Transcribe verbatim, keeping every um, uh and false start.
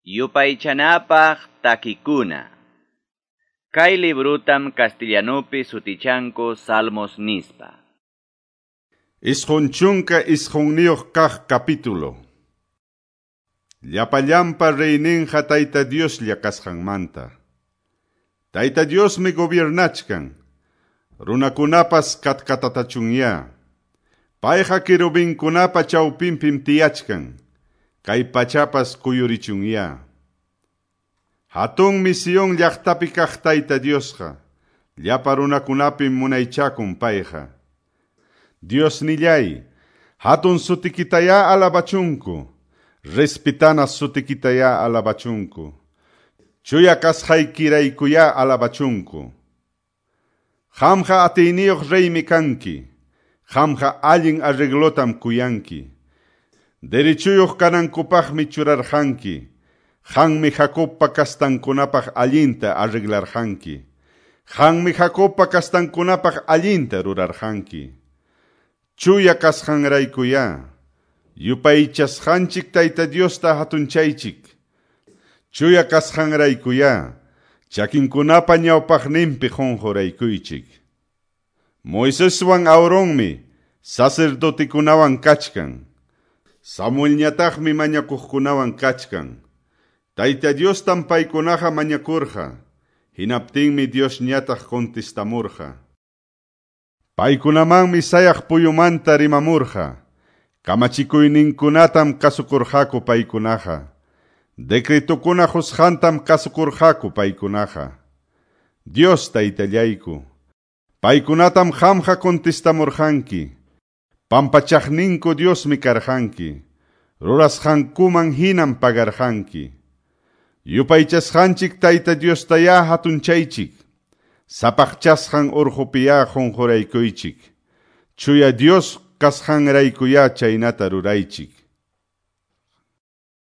Yupaychanapaq takikuna. Kay librutam castellanupi sutichanku Salmos nispa. Isqun chunka isqunniyuq kaq capítulo. Llapallanpa reyninqa Tayta Dioslla kasqanmanta. Tayta Diosmi gobiernachkan. Runakunapas katkatatachunña. Payqa querubinkunapa chawpinpim tiyachkan. Kay pachapas kuyurichunya. Hatunmi Sion llaqtapi kaq Tayta Diosqa. Llapa runakunapim munaychakun payqa. Diosnillay, hatun sutikitayá alabachunku. Respitana sutikitayá alabachunku. Chuya kasqaykiraykuyá alabachunku. Qamqa atiyniyuq reymi kanki. Qamqa allin arreglotam kuyanki. Derechuyuq kanankupaqmi churarqanki. Qanmi Jacobpa kastankunapaq allinta arreglarqanki. Qanmi Jacobpa kastankunapaq allinta rurarqanki. Chuya kasqanraykuyá. Yupaychasqanchik Tayta Diosta hatunchaychik. Chuya kasqanraykuyá. Chakinkunapa ñawpaqninpi qunquraykuychik. Moiseswan Aaronmi sacerdotekunawan kachkan. Samuelñataqmi mañakuqkunawan kachkan. Tayta Diostam paykunaqa mañakurqa. Hinaptinmi Diosñataq contestamurqa. Paykunamanmi sayaq puyumanta rimamurqa. Kamachikuyninkunatam kasukurqaku paykunaqa. Decretokuna qusqantam kasukurqaku paykunaqa. Dios Taytallayku, paykunatam qamqa contestamurqanki. Pampachaqninku Diosmi karqanki. Rurasqankuman hinam pagarqanki. Yupaychasqanchik Tayta Diostayá hatunchaychik. Sapaqchasqan urqupiyá qunquraykuychik. Chuya Dios kasqanraykuyá chaynata ruraychik.